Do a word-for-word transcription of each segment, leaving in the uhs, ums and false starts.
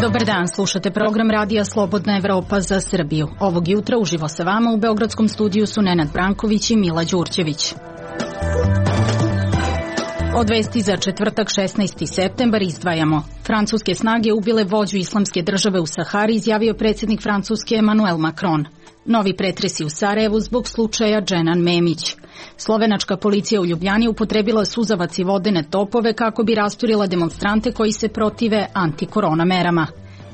Dobar dan, slušate program Radija Slobodna Evropa za Srbiju. Ovog jutra uživo sa vama u Beogradskom studiju su Nenad Branković i Mila Đurđević. Od vesti za četvrtak šesnaesti septembar izdvajamo. Francuske snage ubile vođu islamske države u Sahari, izjavio predsjednik Francuske Emmanuel Macron. Novi pretresi u Sarajevu zbog slučaja Dženan Memić. Slovenačka policija u Ljubljani upotrebila suzavac i vodene topove kako bi rasturila demonstrante koji se protive antikorona merama.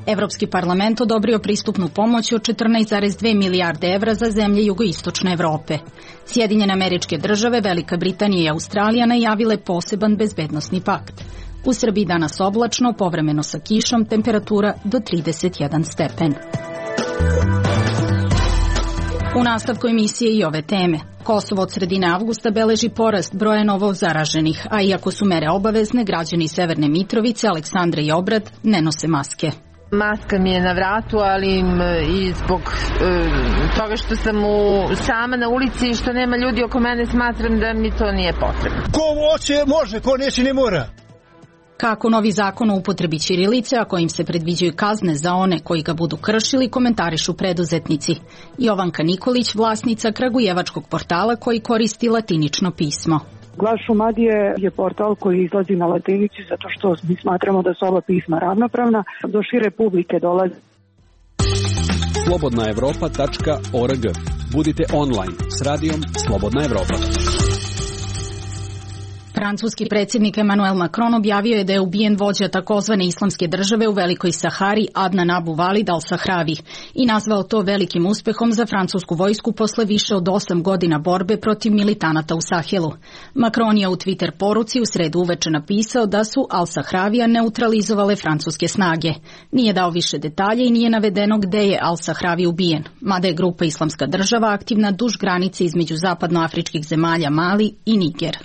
Evropski parlament odobrio pristupnu pomoć od četrnaest zarez dve milijarde evra za zemlje jugoistočne Evrope. Sjedinjene Američke Države, Velika Britanija i Australija najavile poseban bezbednosni pakt. U Srbiji danas oblačno, povremeno sa kišom, temperatura do trideset jedan stepen. U nastavku emisije i ove teme. Kosovo od sredine avgusta beleži porast broja novo zaraženih, a iako su mere obavezne, građani Severne Mitrovice, Aleksandre i Obrad ne nose maske. Maska mi je na vratu, ali i zbog e, toga što sam u, sama na ulici i što nema ljudi oko mene, smatram da mi to nije potrebno. Ko hoće može, ko neće ne mora. Kako novi zakon o upotrebi ćirilice, a kojim se predviđaju kazne za one koji ga budu kršili, komentarišu preduzetnici. Jovanka Nikolić, vlasnica kragujevačkog portala koji koristi latinično pismo. Glas Šumadije je portal koji izlazi na latinici zato što mi smatramo da su oba pisma ravnopravna. Do šire publike dolazi. slobodna evropa tačka org. Budite online s radijom Slobodna Evropa. Francuski predsjednik Emmanuel Macron objavio je da je ubijen vođa takozvane islamske države u Velikoj Sahari Adnan Abu Walid al-Sahravi i nazvao to velikim uspehom za francusku vojsku posle više od osam godina borbe protiv militanata u Sahelu. Macron je u Twitter poruci u sredu uveče napisao da su al-Sahravija neutralizovale francuske snage. Nije dao više detalje i nije navedeno gde je al-Sahravi ubijen, mada je grupa Islamska država aktivna duž granice između zapadnoafričkih zemalja Mali i Niger.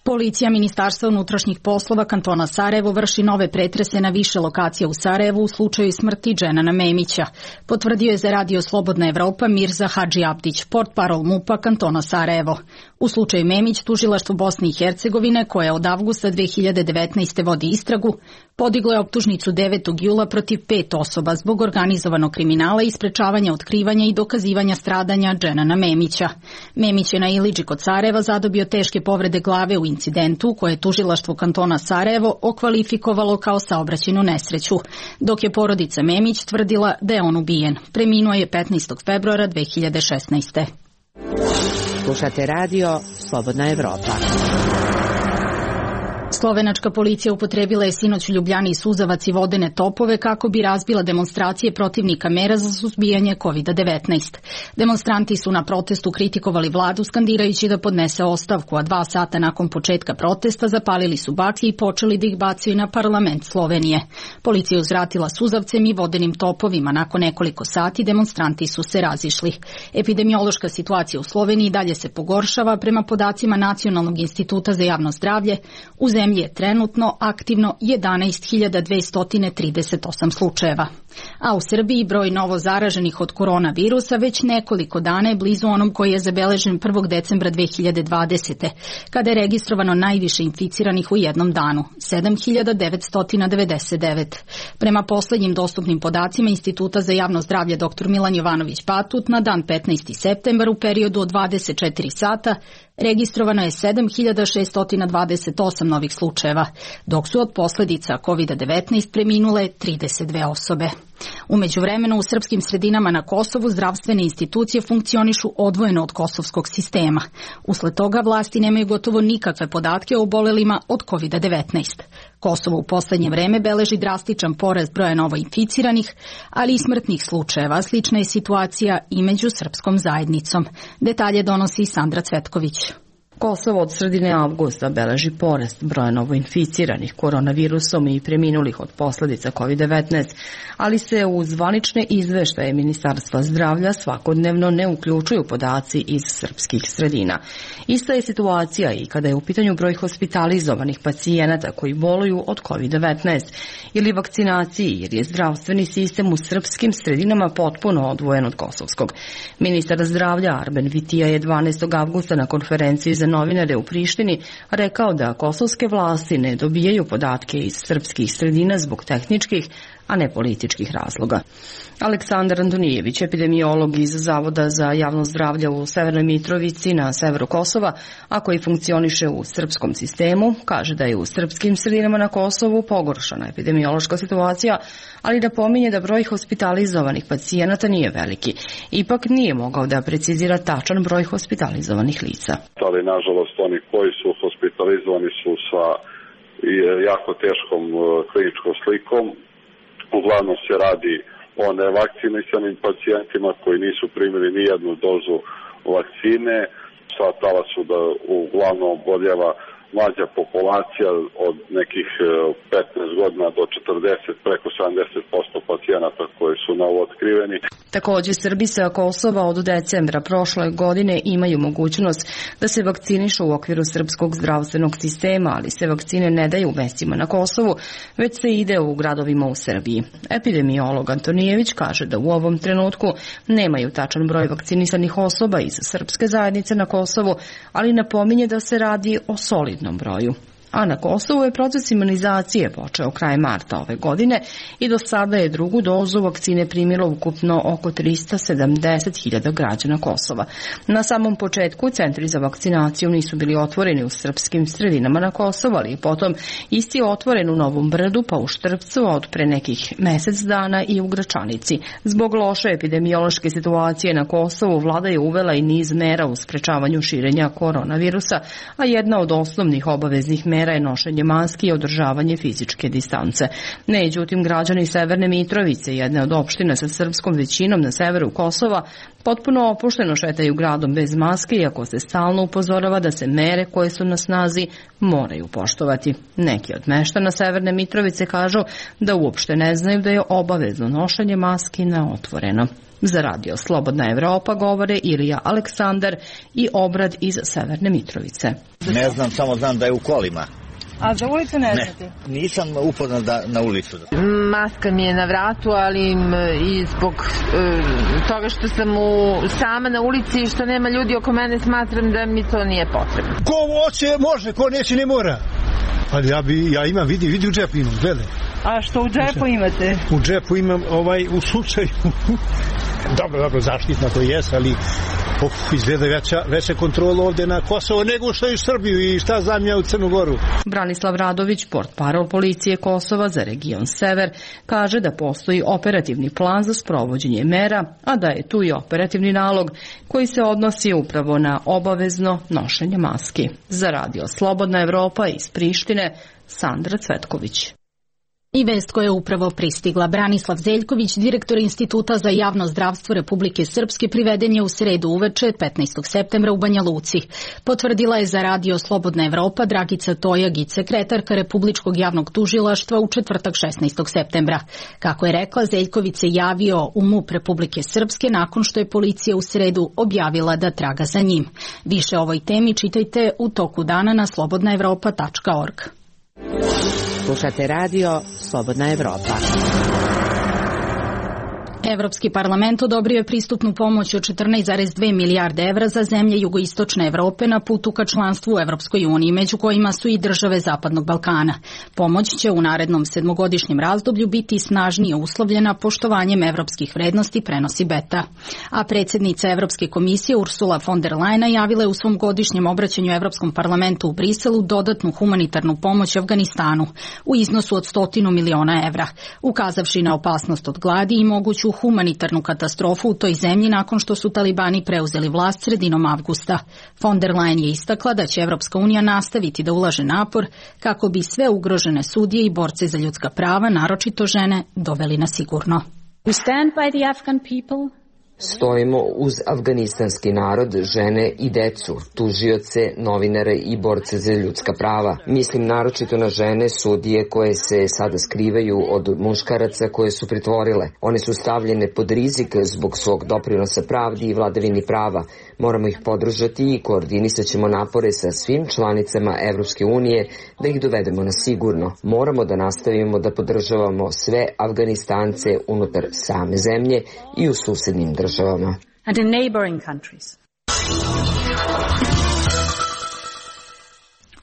Policija Ministarstva unutrašnjih poslova kantona Sarajevo vrši nove pretrese na više lokacija u Sarajevu u slučaju smrti Dženana Memića, potvrdio je za Radio Slobodna Evropa Mirza Hadži Abdić, portparol MUP-a kantona Sarajevo. U slučaju Memić, tužilaštvo Bosne i Hercegovine, koje od avgusta dve hiljade devetnaeste. vodi istragu, podiglo je optužnicu devetog jula protiv pet osoba zbog organizovanog kriminala i sprečavanja otkrivanja i dokazivanja stradanja Dženana Memića. Memić je na Ilidži kod Sarajeva zadobio teške povrede glave u incidentu koje je tužilaštvo kantona Sarajevo okvalifikovalo kao saobraćajnu nesreću, dok je porodica Memić tvrdila da je on ubijen. Preminuo je petnaestog februara dve hiljade šesnaeste. Slušate radio Slobodna Evropa. Slovenačka policija upotrebila je sinoć u Ljubljani suzavac i vodene topove kako bi razbila demonstracije protivnika mera za suzbijanje kovid devetnaest. Demonstranti su na protestu kritikovali vladu skandirajući da podnese ostavku, a dva sata nakon početka protesta zapalili su baklje i počeli da ih bacaju na parlament Slovenije. Policija je uzvratila suzavcem i vodenim topovima. Nakon nekoliko sati demonstranti su se razišli. Epidemiološka situacija u Sloveniji dalje se pogoršava. Prema podacima Nacionalnog instituta za javno zdravlje, u zemlji je trenutno aktivno jedanaest hiljada dvesta trideset osam slučajeva. A u Srbiji broj novo zaraženih od koronavirusa već nekoliko dana je blizu onom koji je zabeležen prvog decembra dve hiljade dvadesete. kada je registrovano najviše inficiranih u jednom danu, sedam hiljada devetsto devedeset devet. Prema poslednjim dostupnim podacima Instituta za javno zdravlje dr Milan Jovanović Batut, na dan petnaesti septembar u periodu od dvadeset četiri sata registrovano je sedam hiljada šeststo dvadeset osam novih slučajeva, dok su od posljedica kovid devetnaest preminule trideset dve osobe. U međuvremenu u srpskim sredinama na Kosovu zdravstvene institucije funkcionišu odvojeno od kosovskog sistema. Usled toga vlasti nemaju gotovo nikakve podatke o obolelima od kovid devetnaest. Kosovo u poslednje vreme beleži drastičan porast broja novoinficiranih, ali i smrtnih slučajeva. Slična je situacija i među srpskom zajednicom. Detalje donosi Sandra Cvetković. Kosovo od sredine avgusta beleži porast broja novoinficiranih koronavirusom i preminulih od posljedica kovid devetnaest, ali se u zvanične izveštaje Ministarstva zdravlja svakodnevno ne uključuju podaci iz srpskih sredina. Ista je situacija i kada je u pitanju broj hospitalizovanih pacijenata koji boluju od kovid devetnaest ili vakcinaciji, jer je zdravstveni sistem u srpskim sredinama potpuno odvojen od kosovskog. Ministar zdravlja Arben Vitija je dvanaestog avgusta na konferenciji za novinare u Prištini rekao da kosovske vlasti ne dobijaju podatke iz srpskih sredina zbog tehničkih, a ne političkih razloga. Aleksandar Antonijević, epidemiolog iz Zavoda za javno zdravlje u Severnoj Mitrovici na severu Kosova, a koji funkcioniše u srpskom sistemu, kaže da je u srpskim sredinama na Kosovu pogoršana epidemiološka situacija, ali da pominje da broj hospitalizovanih pacijenata nije veliki. Ipak nije mogao da precizira tačan broj hospitalizovanih lica. Ali nažalost oni koji su hospitalizovani su sa jako teškom kliničkom slikom. Uglavnom se radi o nevakcinisanim pacijentima koji nisu primili ni jednu dozu vakcine. Shvatala su da uglavnom oboljeva mlađa populacija od nekih petnaest godina do četrdeset, preko sedamdeset posto pacijenata koji su novootkriveni. Također Srbi sa Kosova od decembra prošle godine imaju mogućnost da se vakcinišu u okviru srpskog zdravstvenog sistema, ali se vakcine ne daju u mestima na Kosovu, već se ide u gradovima u Srbiji. Epidemiolog Antonijević kaže da u ovom trenutku nemaju tačan broj vakcinisanih osoba iz srpske zajednice na Kosovu, ali napominje da se radi o solidnom broju. A na Kosovu je proces imunizacije počeo krajem marta ove godine i do sada je drugu dozu vakcine primilo ukupno oko tristo sedamdeset hiljada građana Kosova. Na samom početku centri za vakcinaciju nisu bili otvoreni u srpskim sredinama na Kosovu, ali potom isti je otvoren u Novom Brdu, pa u Štrpcu, a od pre nekih mesec dana i u Gračanici. Zbog loše epidemiološke situacije na Kosovu vlada je uvela i niz mera u sprečavanju širenja koronavirusa, a jedna od osnovnih obaveznih mera je nošenje maski i održavanje fizičke distance. Međutim, građani Severne Mitrovice, jedne od opština sa srpskom većinom na severu Kosova, potpuno opušteno šetaju gradom bez maske, iako se stalno upozorava da se mere koje su na snazi moraju poštovati. Neki od meštana Severne Mitrovice kažu da uopšte ne znaju da je obavezno nošenje maski na otvoreno. Za radio Slobodna Evropa govore Ilija Aleksandar i Obrad iz Severne Mitrovice. Ne znam, samo znam da je u kolima. A za ulicu ne znate? Ne, nisam upoznat da, na ulicu. Maska mi je na vratu, ali i zbog e, toga što sam u, sama na ulici i što nema ljudi oko mene, smatram da mi to nije potrebno. Ko hoće može, ko neće ne mora. Ali ja, bi, ja imam, vidi, vidi u džepu imam, gledaj. A što u džepu imate? U džepu imam ovaj, u slučaju. Dobro, dobro, zaštitna to jes, ali of, izgleda veća, veća kontrola ovdje na Kosovo nego što je u Srbiju i šta znam ja u Crnu Goru. Branislav Radović, portparol policije Kosova za region Sever, kaže da postoji operativni plan za sprovođenje mera, a da je tu i operativni nalog koji se odnosi upravo na obavezno nošenje maski. Za radio Slobodna Evropa iz Prištine, Sandra Cvetković. I vest koja je upravo pristigla. Branislav Zeljković, direktor Instituta za javno zdravstvo Republike Srpske, priveden je u sredu uveče petnaestog septembra u Banja Luci. Potvrdila je za radio Slobodna Evropa Dragica Tojagić, sekretarka Republičkog javnog tužilaštva u četvrtak šesnaestog septembra. Kako je rekla, Zeljković se javio u MUP Republike Srpske nakon što je policija u sredu objavila da traga za njim. Više o ovoj temi čitajte u toku dana na slobodna evropa tačka org. Slušate radio Slobodna Evropa. Evropski parlament odobrio je pristupnu pomoć od četrnaest zarez dve milijarde evra za zemlje jugoistočne Evrope na putu ka članstvu u Evropskoj uniji, među kojima su i države Zapadnog Balkana. Pomoć će u narednom sedmogodišnjem razdoblju biti snažnije uslovljena poštovanjem evropskih vrednosti, prenosi Beta. A predsjednica Evropske komisije Ursula von der Leyen najavila je u svom godišnjem obraćanju Evropskom parlamentu u Briselu dodatnu humanitarnu pomoć Afganistanu u iznosu od stotinu miliona evra, ukazavši na opasnost od gladi i moguću humanitarnu katastrofu u toj zemlji nakon što su talibani preuzeli vlast sredinom avgusta. Von der Leyen je istakla da će Evropska unija nastaviti da ulaže napor kako bi sve ugrožene sudije i borce za ljudska prava, naročito žene, doveli na sigurno. We stand by the Afghan people Stojimo uz afganistanski narod, žene i decu, tužioce, novinare i borce za ljudska prava. Mislim naročito na žene sudije koje se sada skrivaju od muškaraca koje su pritvorile. One su stavljene pod rizik zbog svog doprinosa pravdi i vladavini prava. Moramo ih podržati i koordinisat ćemo napore sa svim članicama Evropske unije da ih dovedemo na sigurno. Moramo da nastavimo da podržavamo sve Afganistance unutar same zemlje i u susednim državama. And in neighboring countries.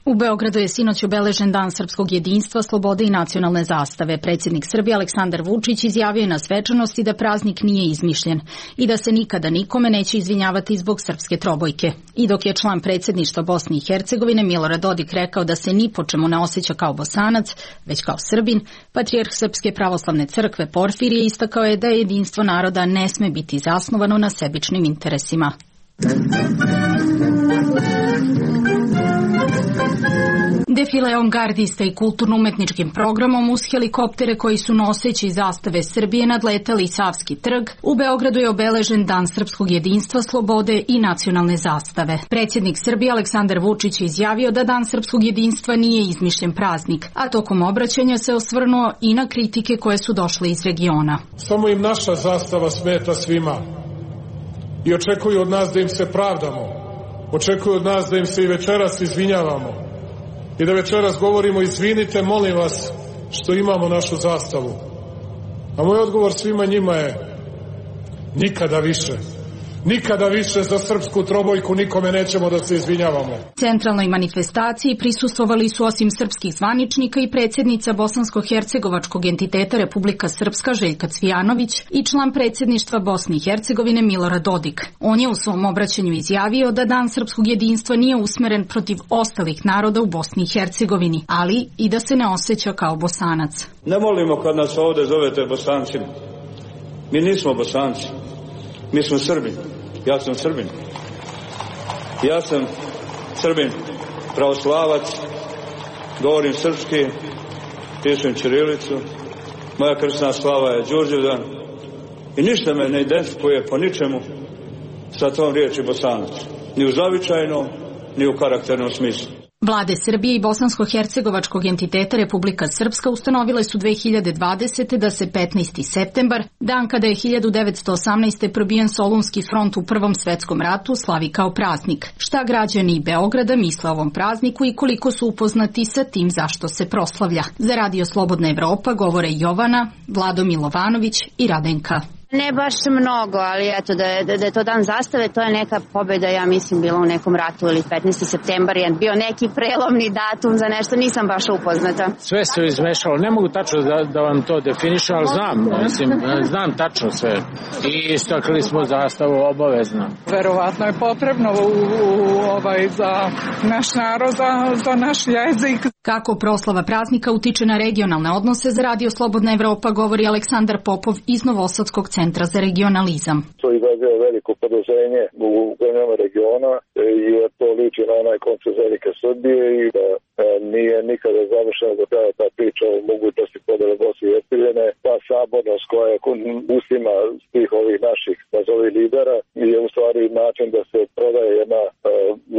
U Beogradu je sinoć obeležen Dan srpskog jedinstva, slobode i nacionalne zastave. Predsjednik Srbije Aleksandar Vučić izjavio je na svečanosti da praznik nije izmišljen i da se nikada nikome neće izvinjavati zbog srpske trobojke. I dok je član predsjedništva Bosne i Hercegovine Milorad Dodik rekao da se ni po čemu ne osjeća kao Bosanac, već kao Srbin, patrijarh Srpske pravoslavne crkve Porfirije istakao je da jedinstvo naroda ne sme biti zasnovano na sebičnim interesima. Defileom gardista i kulturno-umetničkim programom uz helikoptere koji su noseći zastave Srbije nadletali Savski trg, u Beogradu je obeležen Dan srpskog jedinstva, slobode i nacionalne zastave. Predsjednik Srbije Aleksandar Vučić je izjavio da Dan srpskog jedinstva nije izmišljen praznik, a tokom obraćanja se osvrnuo i na kritike koje su došle iz regiona. Samo im naša zastava smeta svima i očekuju od nas da im se pravdamo, očekuju od nas da im se i večeras izvinjavamo. I da večeras govorimo, izvinite, molim vas, što imamo našu zastavu. A moj odgovor svima njima je nikada više. Nikada više za srpsku trobojku nikome nećemo da se izvinjavamo. Centralnoj manifestaciji prisustvovali su osim srpskih zvaničnika i predsjednica bosansko-hercegovačkog entiteta Republika Srpska Željka Cvijanović i član predsjedništva Bosne i Hercegovine Milorad Dodik. On je u svom obraćanju izjavio da Dan srpskog jedinstva nije usmeren protiv ostalih naroda u Bosni i Hercegovini, ali i da se ne osjeća kao Bosanac. Ne volimo kad nas ovdje zovete Bosancima. Mi nismo Bosanci. Mi smo Srbi. Ja sam Srbin. Ja sam Srbin, pravoslavac, govorim srpski, pišem ćirilicu, moja krstna slava je Đurđevdan i ništa me ne identifikuje po ničemu sa tom riječi Bosanac. Ni u zavičajnom, ni u karakternom smislu. Vlade Srbije i bosansko-hercegovačkog entiteta Republika Srpska ustanovile su dve hiljade dvadesete. da se petnaesti septembar, dan kada je hiljadu devetsto osamnaeste. probijen Solunski front u Prvom svetskom ratu, slavi kao praznik. Šta građani Beograda misle o ovom prazniku i koliko su upoznati sa tim zašto se proslavlja? Za Radio Slobodna Evropa govore Jovana, Vlado Milovanović i Radenka. Ne baš mnogo, ali eto da je, da je to dan zastave, to je neka pobjeda, ja mislim, bila u nekom ratu ili petnaesti septembar je bio neki prelomni datum za nešto, nisam baš upoznata. Sve se izmešalo, ne mogu tačno da, da vam to definišem, ali znam, mislim, znam tačno sve. I istakli smo zastavu obavezno. Verovatno je potrebno u, u, ovaj, za naš narod, za, za naš jezik. Kako proslava praznika utiče na regionalne odnose, za Radio Slobodna Evropa govori Aleksandar Popov iz Novosadskog centra za regionalizam. To izaziva veliko podozrenje u zemljama regiona jer to liči na onaj koncept velike Srbije i da e, nije nikada završena do kraja ta priča o mogućnosti podele Bosne i Hercegovine. Ta sabornost koja je ustima svih ovih naših nazovi lidera je u stvari način da se prodaje jedna e,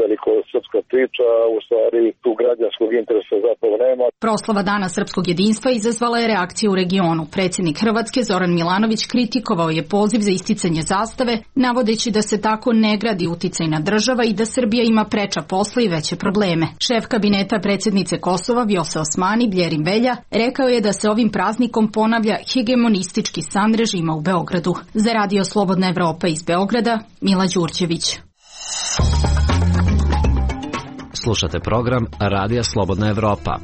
veliko srpska priča, a u stvari tu građanskog interesa zapravo nema. Proslava Dana srpskog jedinstva izazvala je reakcije u regionu. Predsjednik Hrvatske Zoran Milanović kritikovao je poziv za isticanje zastave, navodeći da se tako ne gradi uticajna država i da Srbija ima preča posla i veće probleme. Šef kabineta predsjednice Kosova Vjose Osmani Bljerim Velja rekao je da se ovim praznikom ponavlja hegemonistički san režima u Beogradu. Za Radio Slobodna Evropa iz Beograda, Mila Đurđević. Slušate program Radija Slobodna Evropa.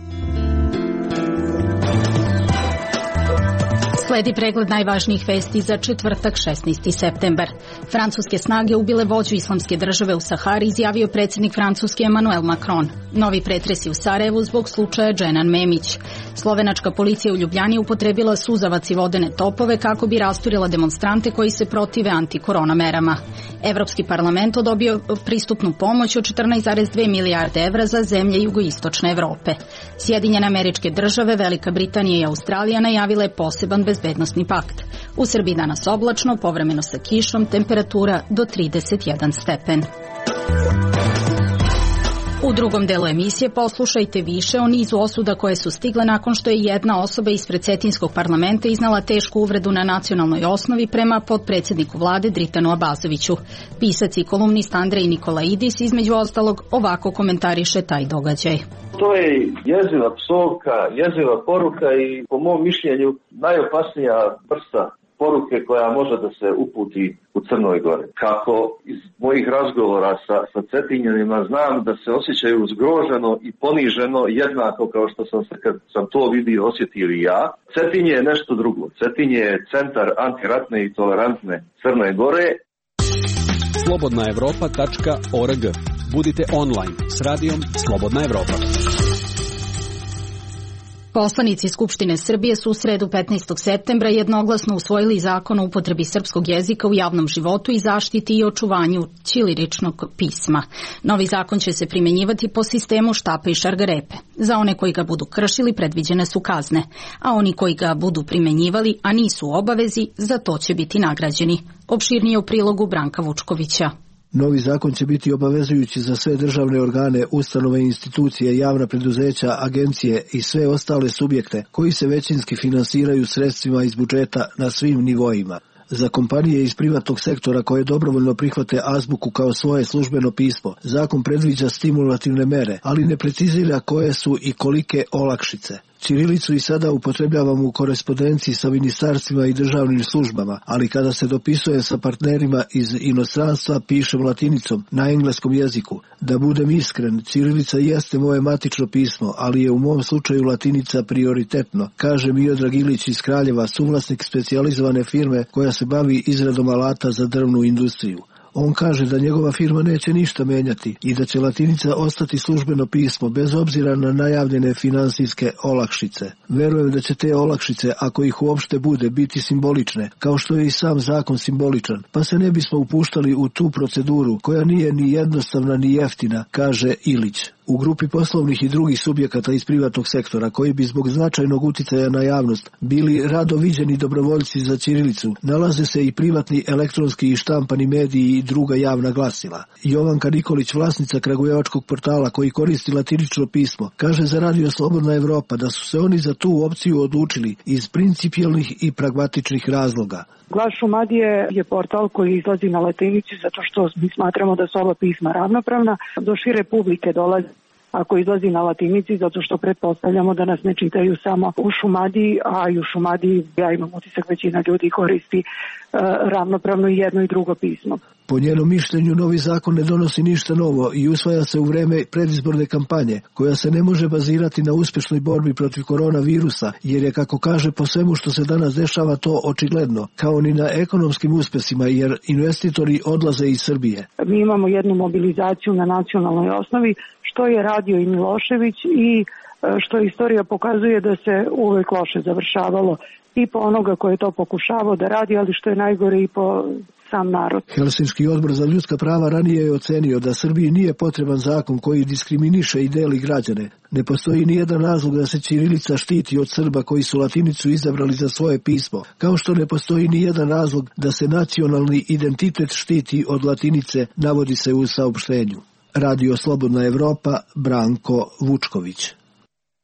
Sledi pregled najvažnijih vesti za četvrtak šesnaesti septembar. Francuske snage ubile vođu islamske države u Sahari, izjavio predsjednik Francuske Emmanuel Macron. Novi pretresi u Sarajevu zbog slučaja Dženan Memić. Slovenačka policija u Ljubljani upotrebila suzavac i vodene topove kako bi rasturila demonstrante koji se protive antikorona merama. Evropski parlament odobio pristupnu pomoć od četrnaest zarez dve milijarde evra za zemlje jugoistočne Evrope. Sjedinjene Američke Države, Velika Britanija i Australija najavile poseban bezbednosni bezbednosni pakt. U Srbiji danas oblačno, povremeno sa kišom, temperatura do trideset jedan stepen. U drugom delu emisije poslušajte više o nizu osuda koje su stigle nakon što je jedna osoba ispred Cetinskog parlamenta iznala tešku uvredu na nacionalnoj osnovi prema potpredsjedniku vlade Dritanu Abazoviću. Pisac i kolumnist Andrej Nikolaidis između ostalog ovako komentariše taj događaj. To je jeziva psovka, jeziva poruka i po mom mišljenju najopasnija vrsta poruke koja može da se uputi u Crnoj Gori. Kako iz mojih razgovora sa, sa Cetinjanima znam da se osjećaju zgroženo i poniženo jednako kao što sam se kad sam to vidio osjetio i ja. Cetinje je nešto drugo. Cetinje je centar antiratne i tolerantne Crne Gore. slobodna evropa tačka org. Budite online s radijom Slobodna Evropa. Poslanici Skupštine Srbije su u sredu petnaestog septembra jednoglasno usvojili zakon o upotrebi srpskog jezika u javnom životu i zaštiti i očuvanju ćiriličnog pisma. Novi zakon će se primjenjivati po sistemu štapa i šargarepe. Za one koji ga budu kršili predviđene su kazne, a oni koji ga budu primenjivali, a nisu u obavezi, za to će biti nagrađeni. Opširnije u prilogu Branka Vučkovića. Novi zakon će biti obavezujući za sve državne organe, ustanove, institucije, javna preduzeća, agencije i sve ostale subjekte koji se većinski finansiraju sredstvima iz budžeta na svim nivoima. Za kompanije iz privatnog sektora koje dobrovoljno prihvate azbuku kao svoje službeno pismo, zakon predviđa stimulativne mere, ali ne precizira koje su i kolike olakšice. Ćirilicu i sada upotrebljavamo u korespondenciji sa ministarstvima i državnim službama, ali kada se dopisuje sa partnerima iz inostranstva pišem latinicom na engleskom jeziku. Da budem iskren, ćirilica jeste moje matično pismo, ali je u mom slučaju latinica prioritetno, kaže Miodrag Ilić iz Kraljeva, suvlasnik specijalizovane firme koja se bavi izradom alata za drvnu industriju. On kaže da njegova firma neće ništa menjati i da će latinica ostati službeno pismo bez obzira na najavljene finansijske olakšice. Verujem da će te olakšice, ako ih uopšte bude, biti simbolične, kao što je i sam zakon simboličan, pa se ne bismo upuštali u tu proceduru koja nije ni jednostavna ni jeftina, kaže Ilić. U grupi poslovnih i drugih subjekata iz privatnog sektora koji bi zbog značajnog uticaja na javnost bili rado viđeni dobrovoljci za ćirilicu, nalaze se i privatni elektronski i štampani mediji i druga javna glasila. Jovanka Nikolić, vlasnica kragujevačkog portala koji koristi latinično pismo, kaže za Radio Slobodna Evropa da su se oni za tu opciju odlučili iz principijelnih i pragmatičnih razloga. Glas Šumadije je portal koji izlazi na latinici zato što mi smatramo da su oba pisma ravnopravna. Do šire publike dolazi ako izlazi na latinici zato što pretpostavljamo da nas ne čitaju samo u Šumadiji, a i u Šumadiji, ja imam utisak, većina ljudi koristi e, ravnopravno i jedno i drugo pismo. Po njenom mišljenju novi zakon ne donosi ništa novo i usvaja se u vreme predizborne kampanje, koja se ne može bazirati na uspešnoj borbi protiv koronavirusa, jer je, kako kaže, po svemu što se danas dešava to očigledno, kao ni na ekonomskim uspesima, jer investitori odlaze iz Srbije. Mi imamo jednu mobilizaciju na nacionalnoj osnovi, što je radio i Milošević i što istorija pokazuje da se uvek loše završavalo i po onoga koji je to pokušavao da radi, ali što je najgore i po sam narod. Helsinški odbor za ljudska prava ranije je ocenio da Srbiji nije potreban zakon koji diskriminiše i deli građane. Ne postoji nijedan razlog da se ćirilica štiti od Srba koji su latinicu izabrali za svoje pismo, kao što ne postoji nijedan razlog da se nacionalni identitet štiti od latinice, navodi se u saopštenju. Radio Slobodna Evropa, Branko Vučković.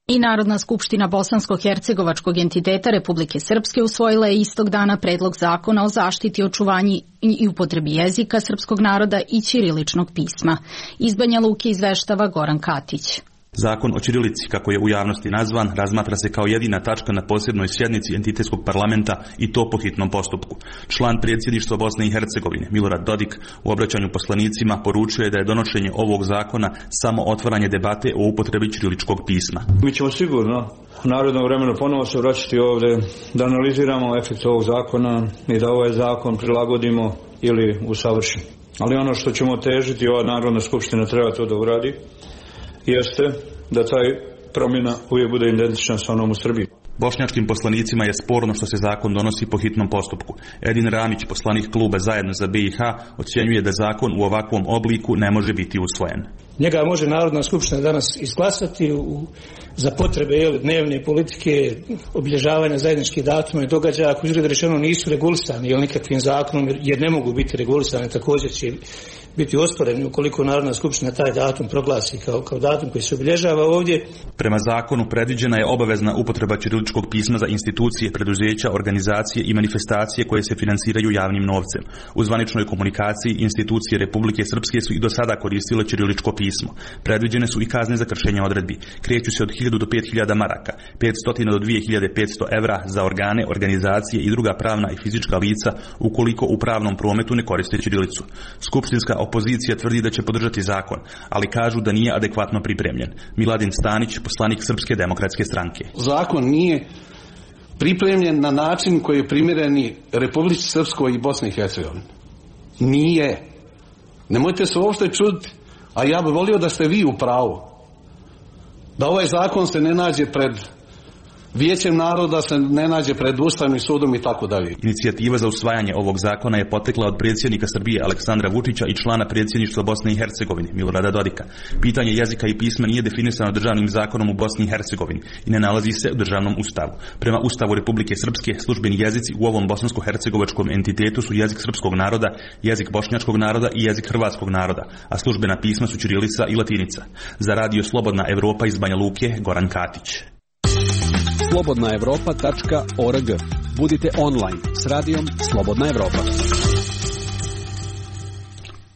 I Narodna skupština Bosansko-Hercegovačkog entiteta Republike Srpske usvojila je istog dana predlog zakona o zaštiti, očuvanju i upotrebi jezika srpskog naroda i ćiriličnog pisma. Iz Banja Luke izveštava Goran Katić. Zakon o ćirilici, kako je u javnosti nazvan, razmatra se kao jedina tačka na posebnoj sjednici entitetskog parlamenta i to po hitnom postupku. Član predsjedništva Bosne i Hercegovine, Milorad Dodik, u obraćanju poslanicima poručuje da je donošenje ovog zakona samo otvaranje debate o upotrebi ćiriličkog pisma. Mi ćemo sigurno u narednom vremenu ponovo se vraćati ovdje da analiziramo efekt ovog zakona i da ovaj zakon prilagodimo ili usavršimo. Ali ono što ćemo težiti, ova Narodna skupština treba to da uradi, jeste da taj promjena uvijek bude identična sa onom u Srbiji. Bošnjačkim poslanicima je sporno što se zakon donosi po hitnom postupku. Edin Ramić, poslanik kluba Zajedno za B i H, ocjenjuje da zakon u ovakvom obliku ne može biti usvojen. Njega može Narodna skupština danas izglasati u, za potrebe jel, dnevne politike, obilježavanja zajedničkih datuma i događaja, ako izgleda rečeno nisu regulisani jel, nikakvim zakonom, jer ne mogu biti regulisani, također će biti osporeni ukoliko Narodna skupština taj datum proglasi kao, kao datum koji se obilježava ovdje. Prema zakonu predviđena je obavezna upotreba ćiriličkog pisma za institucije, preduzeća, organizacije i manifestacije koje se finansiraju javnim novcem. U zvaničnoj komunikaciji institucije Republike Srpske su i do sada koristile ćiriličko pismo. Predviđene su i kazne za kršenje odredbi. Kreću se od hiljadu do pet hiljada maraka, petsto do dvije hiljade petsto evra za organe, organizacije i druga pravna i fizička lica ukoliko u pravnom prometu ne koriste ćirilicu. Skupštinska opozicija tvrdi da će podržati zakon, ali kažu da nije adekvatno pripremljen. Miladin Stanić, poslanik Srpske demokratske stranke. Zakon nije pripremljen na način koji je primjereni Republici Srpskoj i Bosni i Hercegovini. Nije. Nemojte se uopšte čuditi, a ja bih volio da ste vi u pravu. Da ovaj zakon se ne nađe pred Vijećem naroda, se ne nađe pred Ustavnim sudom i tako dalje. Inicijativa za usvajanje ovog zakona je potekla od predsjednika Srbije Aleksandra Vučića i člana predsjedništva Bosne i Hercegovine Milorada Dodika. Pitanje jezika i pisma nije definisano državnim zakonom u Bosni i Hercegovini i ne nalazi se u državnom ustavu. Prema Ustavu Republike Srpske, službeni jezici u ovom bosansko-hercegovačkom entitetu su jezik srpskog naroda, jezik bošnjačkog naroda i jezik hrvatskog naroda, a službena pisma su ćirilica i latinica. Za radio Slobodna Evropa iz Banja Luke, Goran Katić. slobodna evropa tačka org. Budite online s radijom Slobodna Evropa.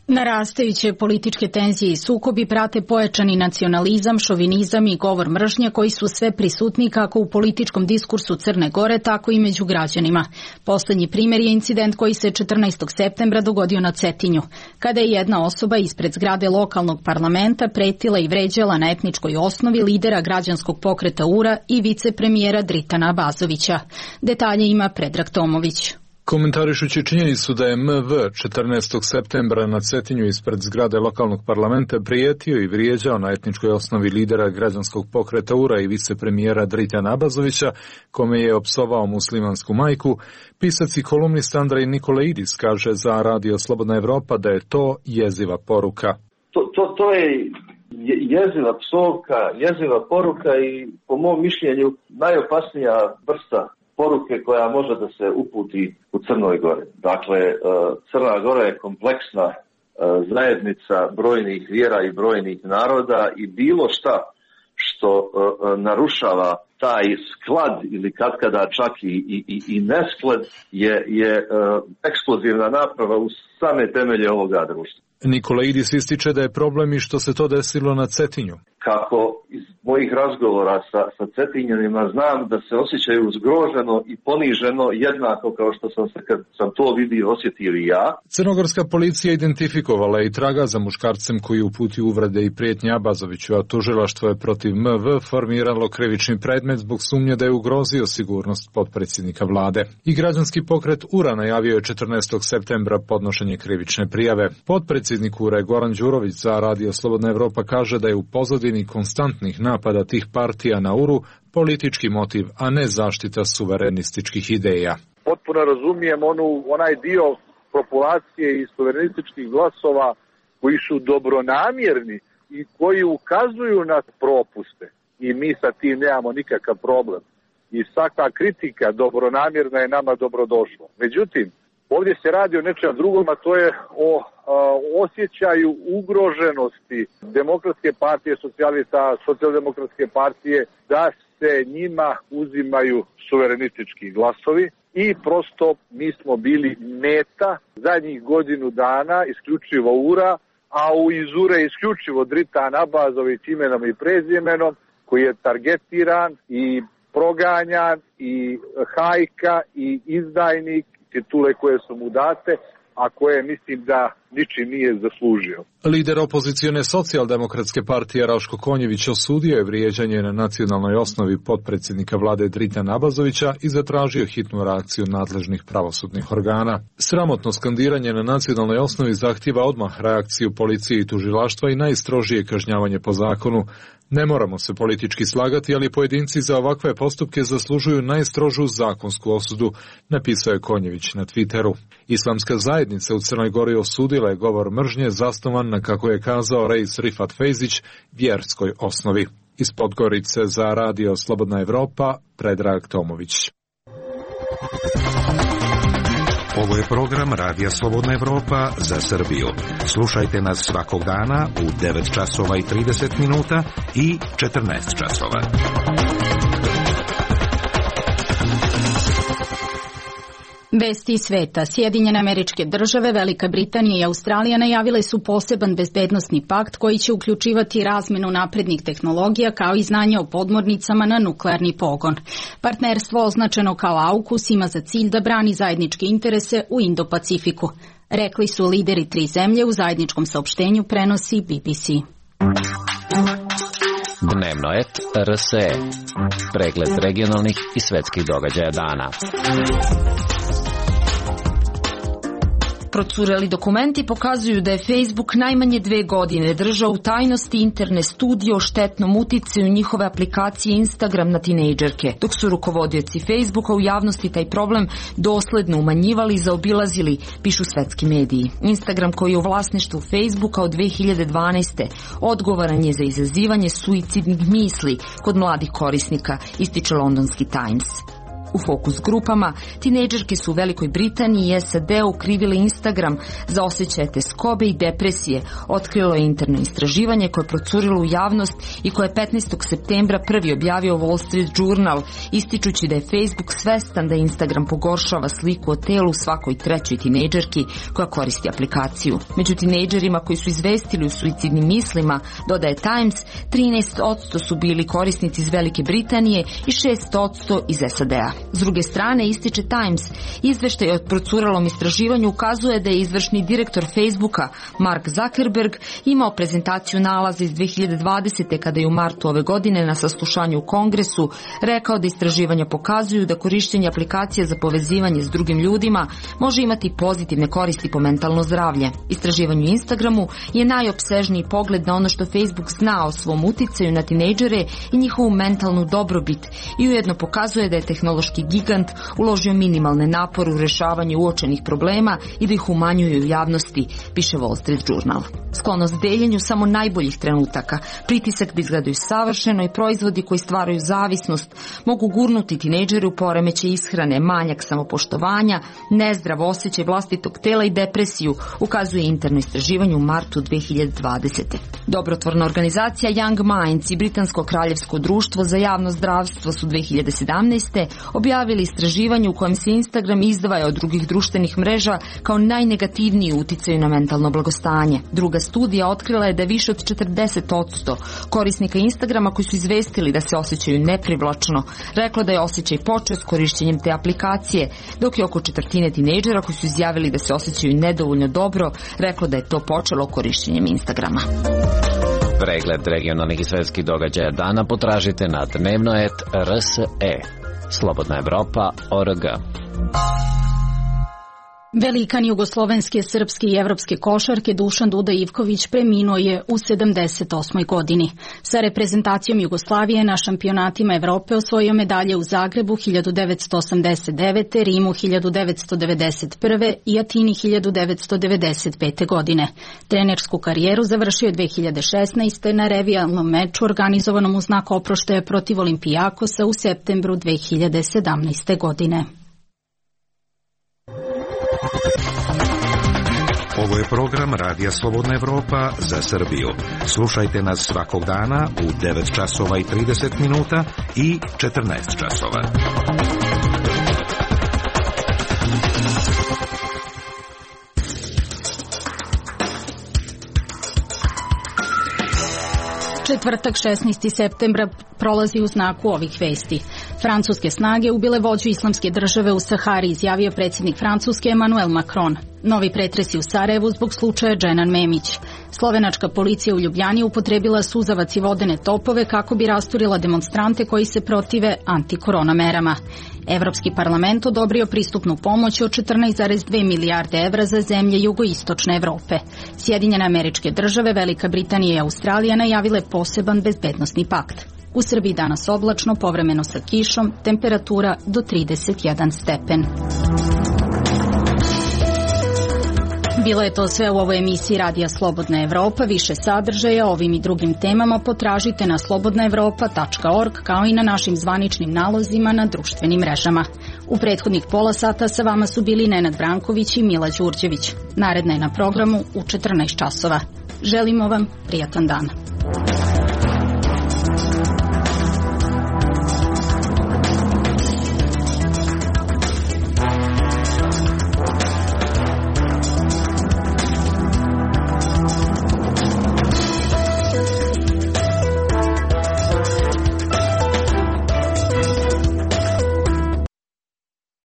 Narastajuće političke tenzije i sukobi prate pojačani nacionalizam, šovinizam i govor mržnje koji su sve prisutni kako u političkom diskursu Crne Gore, tako i među građanima. Poslednji primjer je incident koji se četrnaestog septembra dogodio na Cetinju, kada je jedna osoba ispred zgrade lokalnog parlamenta pretila i vređala na etničkoj osnovi lidera građanskog pokreta U R A i vicepremijera Dritana Abazovića. Detalje ima Predrag Tomović. Komentarišući činjenicu da je M V četrnaestog septembra na Cetinju ispred zgrade lokalnog parlamenta prijetio i vrijeđao na etničkoj osnovi lidera građanskog pokreta U R A i vicepremijera Dritana Abazovića, kome je opsovao muslimansku majku, pisac i kolumnist Andrej Nikolaidis kaže za radio Slobodna Evropa da je to jeziva poruka. To, to, to je jeziva psovka, jeziva poruka i po mom mišljenju najopasnija vrsta poruke koja može da se uputi u Crnoj Gori. Dakle, Crna Gora je kompleksna zajednica brojnih vjera i brojnih naroda i bilo šta što narušava taj sklad ili katkada čak i, i, i nesklad je, je eksplozivna naprava u same temelje ovoga društva. Nikolaidis ističe da je problem i što se to desilo na Cetinju. Kako iz mojih razgovora sa, sa Cetinjanima znam da se osjećaju zgroženo i poniženo jednako kao što sam se kad sam to vidio osjetio i ja. Crnogorska policija identifikovala i traga za muškarcem koji uputio uvrede i prijetnje Abazoviću, a tužilaštvo je protiv M V formiralo krivični predmet zbog sumnje da je ugrozio sigurnost potpredsjednika vlade. I građanski pokret U R A najavio je četrnaestog septembra podnošenje krivične prijave. Potpredsjednik U R A Goran Đurović za radio Slobodna Evropa kaže da je u pozadini konstantnih napada tih partija na U R U politički motiv, a ne zaštita suverenističkih ideja. Potpuno razumijem onu, onaj dio populacije i suverenističkih glasova koji su dobronamjerni i koji ukazuju na propuste i mi sa tim nemamo nikakav problem. I svaka kritika dobronamjerna je nama dobrodošla. Međutim, ovdje se radi o nečem drugom, a to je o a, osjećaju ugroženosti Demokratske partije, socijalista, socijaldemokratske partije, da se njima uzimaju suverenistički glasovi i prosto mi smo bili meta zadnjih godinu dana isključivo U R A, a u iz U R A isključivo Dritan Abazović imenom i prezimenom koji je targetiran i proganjan i hajka i izdajnik, titule koje su mu date, a koje mislim da ničim nije zaslužio. Lider opozicione socijaldemokratske partije Raško Konjević osudio je vrijeđanje na nacionalnoj osnovi potpredsjednika vlade Dritana Abazovića i zatražio hitnu reakciju nadležnih pravosudnih organa. Sramotno skandiranje na nacionalnoj osnovi zahtijeva odmah reakciju policije i tužilaštva i najstrožije kažnjavanje po zakonu. Ne moramo se politički slagati, ali pojedinci za ovakve postupke zaslužuju najstrožu zakonsku osudu, napisao je Konjević na Twitteru. Islamska zajednica u Crnoj Gori osudila osudila je govor mržnje zasnovan na, kako je kazao Reis Rifat Fejzić, vjerskoj osnovi. Iz Podgorice za Radio Slobodna Evropa, Predrag Tomović. Ovo je program Radija Slobodna Evropa za Srbiju. Slušajte nas svakog dana u devet časova i trideset minuta i četrnaest časova. Vesti iz sveta. Sjedinjene Američke Države, Velika Britanija i Australija najavile su poseban bezbednosni pakt koji će uključivati razmenu naprednih tehnologija kao i znanje o podmornicama na nuklearni pogon. Partnerstvo označeno kao AUKUS ima za cilj da brani zajedničke interese u Indo-Pacifiku. Rekli su lideri tri zemlje u zajedničkom saopštenju, prenosi B B C. Dnevno et R S E. Pregled regionalnih i svetskih događaja dana. Procureli dokumenti pokazuju da je Facebook najmanje dve godine držao u tajnosti interne studije o štetnom uticaju njihove aplikacije Instagram na tinejdžerke, dok su rukovodioci Facebooka u javnosti taj problem dosledno umanjivali i zaobilazili, pišu svetski mediji. Instagram, koji je u vlasništvu Facebooka od dve hiljade dvanaeste. odgovoran je za izazivanje suicidnih misli kod mladih korisnika, ističe londonski Times. U fokus grupama, tinejdžerke su u Velikoj Britaniji i S A D-u krivile Instagram za osjećaje teskobe i depresije, otkrilo je interno istraživanje koje je procurilo u javnost i koje je petnaestog septembra prvi objavio Wall Street Journal, ističući da je Facebook svestan da Instagram pogoršava sliku o telu svakoj trećoj tinejdžerki koja koristi aplikaciju. Među tinejdžerima koji su izvestili u suicidnim mislima, dodaje Times, trinaest posto su bili korisnici iz Velike Britanije i šest posto iz S A D-a. S druge strane, ističe Times, izveštaj o procuralom istraživanju ukazuje da je izvršni direktor Facebooka, Mark Zuckerberg, imao prezentaciju nalaza iz dve hiljade dvadesete. kada je u martu ove godine na saslušanju u Kongresu rekao da istraživanja pokazuju da korištenje aplikacija za povezivanje s drugim ljudima može imati pozitivne koristi po mentalno zdravlje. Istraživanje u Instagramu je najopsežniji pogled na ono što Facebook zna o svom uticaju na tinejdžere i njihovu mentalnu dobrobit i ujedno pokazuje da je tehnološki gigant uložio minimalne napore u rešavanju uočenih problema i da ih umanjuje u javnosti, piše Wall Street Journal. Sklonost deljenju samo najboljih trenutaka, pritisak da izgledaju savršeno i proizvodi koji stvaraju zavisnost mogu gurnuti tinejdžere u poremećaj ishrane, manjak samopoštovanja, nezdrav osjećaj vlastitog tela i depresiju, ukazuje interno istraživanje u martu dve hiljade dvadesete. Dobrotvorna organizacija Young Minds i Britansko kraljevsko društvo za javno zdravstvo su dve hiljade sedamnaeste. objavili istraživanje u kojem se Instagram izdvaja od drugih društvenih mreža kao najnegativniji uticaj na mentalno blagostanje. Druga studija otkrila je da više od četrdeset posto korisnika Instagrama koji su izvestili da se osjećaju neprivlačno reklo da je osjećaj počeo s korišćenjem te aplikacije, dok je oko četvrtine tinejdžera koji su izjavili da se osjećaju nedovoljno dobro reklo da je to počelo korišćenjem Instagrama. Pregled regionalnih i svetskih događaja dana potražite na dnevno et R S E. Slobodna Evropa, O R G. Velikan jugoslovenske, srpske i evropske košarke Dušan Duda Ivković preminuo je u sedamdeset osmoj godini. Sa reprezentacijom Jugoslavije na šampionatima Evrope osvojio medalje u Zagrebu hiljadu devetsto osamdeset devete. Rimu hiljadu devetsto devedeset prve. i Atini hiljadu devetsto devedeset pete. godine. Trenersku karijeru završio je dve hiljade šesnaeste. na revijalnom meču organizovanom u znak oproštaja protiv Olimpijakosa u septembru dve hiljade sedamnaeste. godine. Ovo je program Radija Slobodna Evropa za Srbiju. Slušajte nas svakog dana u devet časova i trideset minuta i četrnaest časova. Četvrtak šesnaestog septembra prolazi u znaku ovih vesti. Francuske snage ubile vođu islamske države u Sahari, izjavio predsjednik Francuske Emmanuel Macron. Novi pretresi u Sarajevu zbog slučaja Dženan Memić. Slovenačka policija u Ljubljani upotrebila suzavac i vodene topove kako bi rasturila demonstrante koji se protive antikorona merama. Evropski parlament odobrio pristupnu pomoć od četrnaest zarez dve milijarde evra za zemlje jugoistočne Evrope. Sjedinjene Američke Države, Velika Britanija i Australija najavile poseban bezbednosni pakt. U Srbiji danas oblačno, povremeno sa kišom, temperatura do trideset jedan stepen. Bilo je to sve u ovoj emisiji Radija Slobodna Evropa. Više sadržaja o ovim i drugim temama potražite na slobodna evropa tačka org kao i na našim zvaničnim nalozima na društvenim mrežama. U prethodnih pola sata sa vama su bili Nenad Branković i Mila Đurđević. Naredna je na programu u četrnaest časova. Želimo vam prijatan dan.